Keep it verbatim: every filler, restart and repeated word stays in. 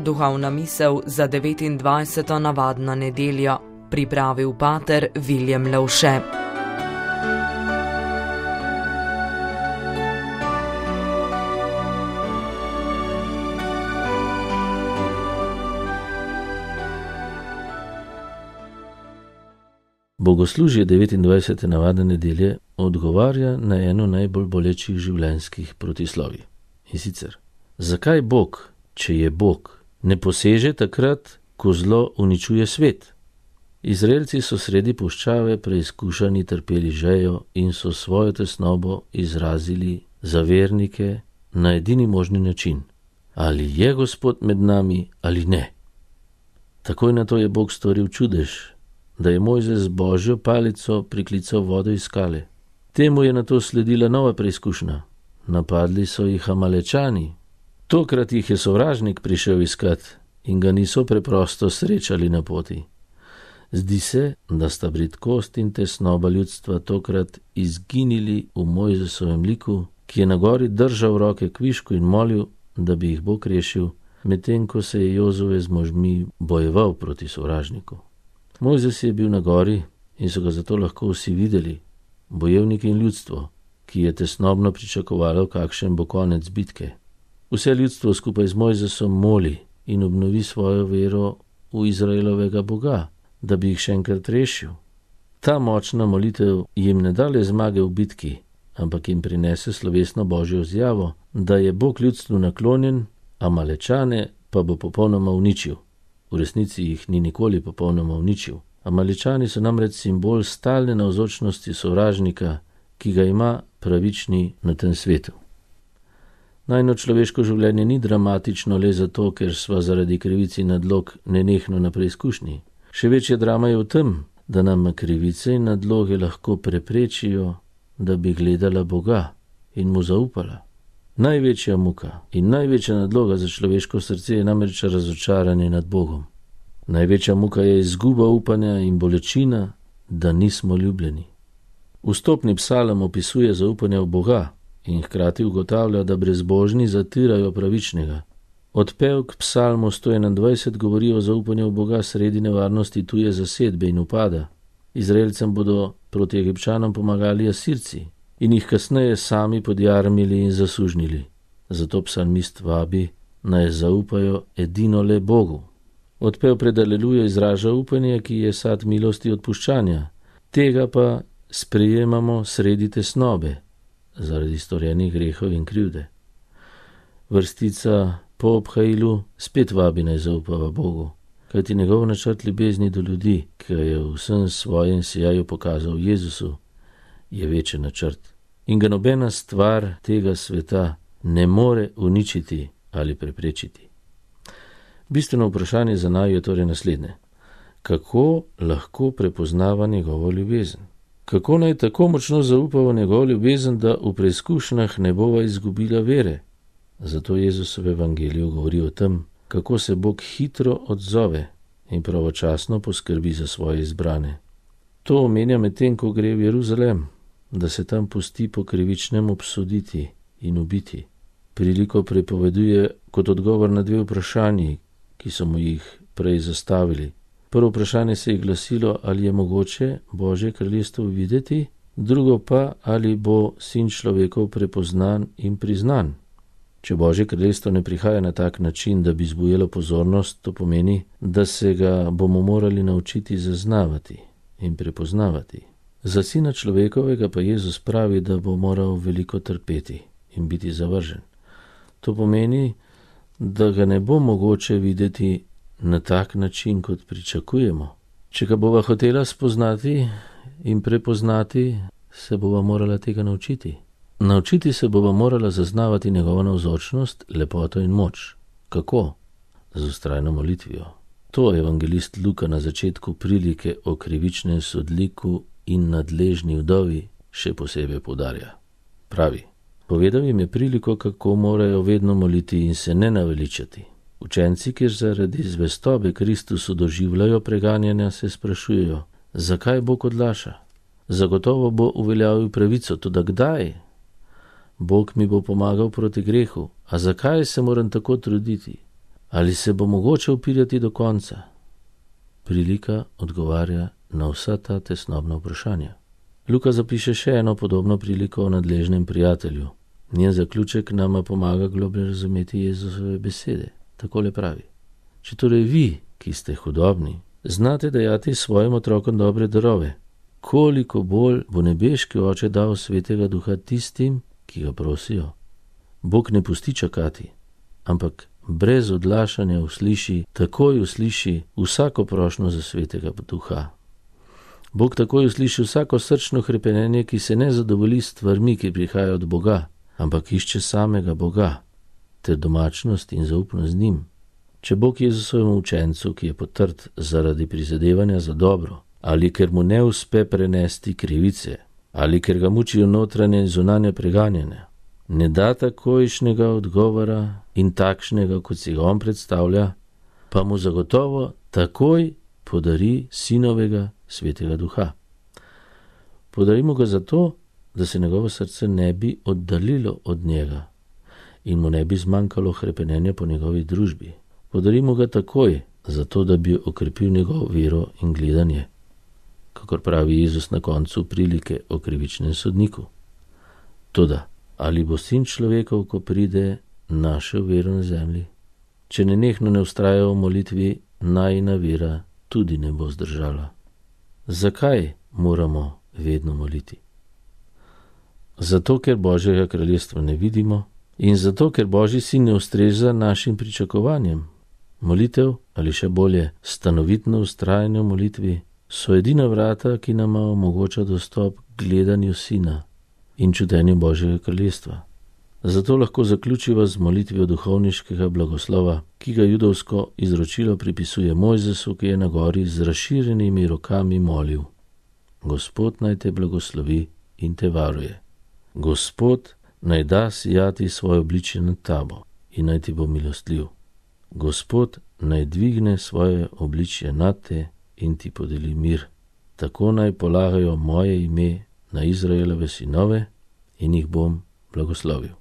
Duhovna misel za devetindvajseto navadno nedeljo, pripravil pater Viljem Lovše. Bogoslužje devetindvajsete navadne nedelje odgovarja na eno najbolj bolečih življenjskih protislovij. In sicer, zakaj Bog, če je Bog, ne poseže takrat, ko zlo uničuje svet? Izraelci so sredi puščave preizkušani trpeli žejo in so svojo tesnobo izrazili za vernike na edini možni način. Ali je Gospod med nami ali ne? Takoj na to je Bog storil čudež, da je Mojzes z Božjo palico priklical vodo iz skale. Temu je nato sledila nova preizkušnja. Napadli so jih Amalečani. Tokrat jih je sovražnik prišel iskat in ga niso preprosto srečali na poti. Zdi se, da sta bridkost in tesnoba ljudstva tokrat izginili v Mojzesovem liku, ki je na gori držal roke kvišku in molil, da bi jih Bog rešil, medtem ko se je Jozue z možmi bojeval proti sovražniku. Mojzes je bil na gori in so ga zato lahko vsi videli, bojevniki in ljudstvo, ki je tesnobno pričakovalo, kakšen bo konec bitke. Vse ljudstvo skupaj z Mojzesom moli in obnovi svojo vero v Izraelovega Boga, da bi jih še enkrat rešil. Ta močna molitev jim ne da le zmage v bitki, ampak jim prinese slovesno Božjo izjavo, da je Bog ljudstvu naklonjen, Amalečane pa bo popolnoma uničil. V resnici jih ni nikoli popolnoma uničil. Amalečani so namreč simbol stalne navzočnosti sovražnika, ki ga ima pravični na tem svetu. Najno človeško življenje ni dramatično le zato, ker sva zaradi krivici nadlog nenehno na preizkušnji. Še večja drama je v tem, da nam krivice in nadloge lahko preprečijo, da bi gledala Boga in mu zaupala. Največja muka in največja nadloga za človeško srce je namreč razočaranje nad Bogom. Največja muka je izguba upanja in bolečina, da nismo ljubljeni. Vstopni psalm opisuje zaupanje v Boga in hkrati ugotavlja, da brezbožni zatirajo pravičnega. Odpev k psalmu sto enaindvajset govori o zaupanju v Boga sredi nevarnosti tuje zasedbe in upada. Izraelcem bodo proti Egipčanom pomagali Asirci in jih kasneje sami podjarmili in zasužnili. Zato psalmist vabi, naj zaupajo edino le Bogu. Odpev pred alelujo izraža upanje, ki je sad milosti odpuščanja. Tega pa sprejemamo sredi tesnobe, zaradi storjenih grehov in krivde. Vrstica po obhajilu spet vabi, naj zaupava Bogu, kajti njegov načrt ljubezni do ljudi, ki je v vsem svojem sijaju pokazal Jezusu, je večji načrt. In ga nobena stvar tega sveta ne more uničiti ali preprečiti. Bistveno vprašanje za naju je torej naslednje. Kako lahko prepoznava njegovo ljubezen? Kako naj tako močno zaupa v njegovo ljubezen, da v preizkušnjah ne bova izgubila vere? Zato Jezus v evangeliju govori o tem, kako se Bog hitro odzove in pravočasno poskrbi za svoje izbrane. To omenja medtem, ko gre v Jeruzalem, da se tam pusti po krivičnem obsoditi in ubiti. Priliko prepoveduje kot odgovor na dve vprašanji, ki so mu jih prej zastavili. Prvo vprašanje se je glasilo, ali je mogoče Božje kraljestvo videti, drugo pa, ali bo sin človekov prepoznan in priznan. Če Božje kraljestvo ne prihaja na tak način, da bi zbujalo pozornost, to pomeni, da se ga bomo morali naučiti zaznavati in prepoznavati. Za sina človekovega pa Jezus pravi, da bo moral veliko trpeti in biti zavržen. To pomeni, da ga ne bo mogoče videti na tak način, kot pričakujemo. Če ga bova hotela spoznati in prepoznati, se bova morala tega naučiti. Naučiti se bova morala zaznavati njegovo navzočnost, lepoto in moč. Kako? Z vztrajno molitvijo. To evangelist Luka na začetku prilike o krivičnem sodniku in nadležni vdovi še posebej poudarja. Pravi, povedal jim je priliko, kako morajo vedno moliti in se ne naveličati. Učenci, kjer zaradi zvestobe Kristusu doživljajo preganjanja, se sprašujejo, zakaj Bog odlaša? Zagotovo bo uveljavil pravico, toda kdaj? Bog mi bo pomagal proti grehu, a zakaj se moram tako truditi? Ali se bo mogoče upirati do konca? Prilika odgovarja na vsa ta tesnobna vprašanja. Luka zapiše še eno podobno priliko o nadležnem prijatelju. Njen zaključek nama pomaga globlje razumeti Jezusove besede. Takole pravi: če torej vi, ki ste hudobni, znate dajati svojim otrokom dobre darove, koliko bolj bo nebeški Oče dal Svetega Duha tistim, ki ga prosijo. Bog ne pusti čakati, ampak brez odlašanja usliši, takoj usliši vsako prošnjo za Svetega Duha. Bog takoj usliši vsako srčno hrepenenje, ki se ne zadovolji s stvarmi, ki prihajajo od Boga, ampak išče samega Boga, ter domačnost in zaupnost z njim. Če Bog Jezusovemu učencu, ki je potrt zaradi prizadevanja za dobro, ali ker mu ne uspe prenesti krivice, ali ker ga mučijo notranje in zunanje preganjanja, ne da takojšnjega odgovora in takšnega, kot si ga on predstavlja, pa mu zagotovo takoj podari sinovega Svetega Duha. Podarimo ga zato, da se njegovo srce ne bi oddaljilo od njega in mu ne bi zmanjkalo hrepenenja po njegovi družbi. Podarimo ga takoj, zato da bi okrepil njegovo vero in gledanje, kakor pravi Jezus na koncu prilike o krivičnem sodniku. Toda, ali bo sin človekov, ko pride, našel vero na zemlji? Če nenehno ne vztraja v molitvi, najina vera tudi ne bo zdržala. Zakaj moramo vedno moliti? Zato, ker Božjega kraljestva ne vidimo in zato, ker Božji sin ne ustreza našim pričakovanjem. Molitev, ali še bolje, stanovitno vztrajanje v molitvi, so edina vrata, ki nama omogoča dostop k gledanju sina in čutenju Božjega kraljestva. Zato lahko zaključiva z molitvijo duhovniškega blagoslova, ki ga judovsko izročilo pripisuje Mojzesu, ki je na gori z razširjenimi rokami molil: Gospod naj te blagoslovi in te varuje. Gospod naj da sijati svoje obličje nad tabo in naj ti bo milostljiv. Gospod naj dvigne svoje obličje nad te in ti podeli mir. Tako naj polagajo moje ime na Izraelove sinove in jih bom blagoslovil.